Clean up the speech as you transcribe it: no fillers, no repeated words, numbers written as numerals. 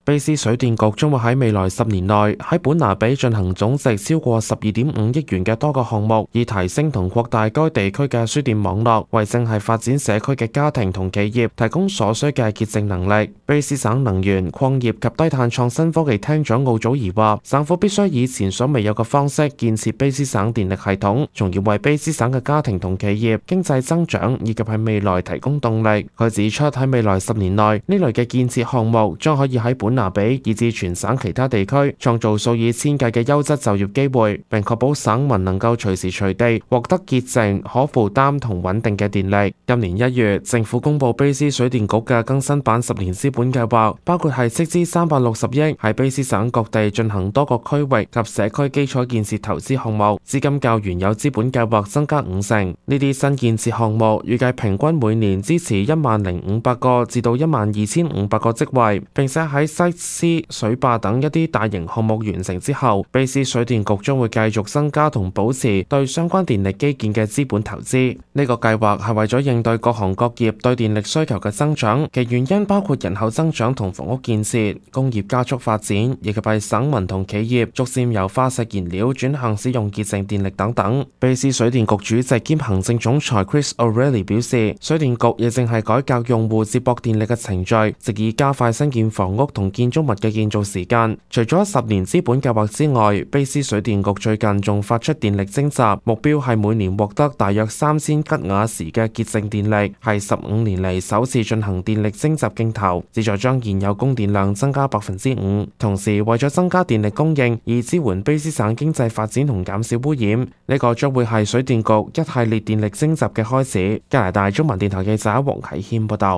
卑斯水電局將會喺未來10年內喺本拿比進行總值超過12.5億元嘅多個項目，以提升同擴大該地區嘅輸電網絡，為正係發展社區嘅家庭同企業提供所需嘅潔淨能力。卑斯省能源、礦業及低碳創新科技廳長奧祖兒話，省府必須以前所未有嘅方式建設卑斯省電力系統，從而為卑斯省嘅家庭同企業經濟增長以及喺未來提供動力。佢指出，喺未來10年內，呢類嘅建設項目將可以喺本拿比以至全省其他地區創造數以千計嘅優質就業機會，並確保省民能夠隨時隨地獲得潔淨、可負擔同穩定嘅電力。今年1月，政府公布卑斯水電局嘅更新版10年資本計劃，包括係斥資360億喺卑斯省各地進行多個區域及社區基礎建設投資項目，資金較原有資本計劃增加50%。呢啲新建設項目預計平均每年支持10500個至到12500個職位，並且喺西斯、水壩等一啲大型項目完成之後，卑斯水電局將會繼續增加同保持對相關電力基建嘅資本投資。呢個計劃係為咗應對各行各業對電力需求嘅增長，其原因包括人口增長同房屋建設、工業加速發展，以及係省民同企業逐漸由化石燃料轉向使用潔淨電力等等。卑斯水電局主席兼行政總裁 Chris O'Reilly 表示，水電局亦正係改革用戶接駁電力嘅程序，藉以加快新建房屋同建築物嘅建造時間。除咗10年資本計劃之外，卑斯水電局最近仲發出電力徵集，目標係每年獲得大約3000吉瓦時嘅潔淨電力，係15年嚟首次進行電力徵集競投，旨在將現有供電量增加5%。同時，為咗增加電力供應，以支援卑斯省經濟發展同減少污染，呢個將會係水電局一系列電力徵集嘅開始。加拿大中文電台記者黃啟謙報道。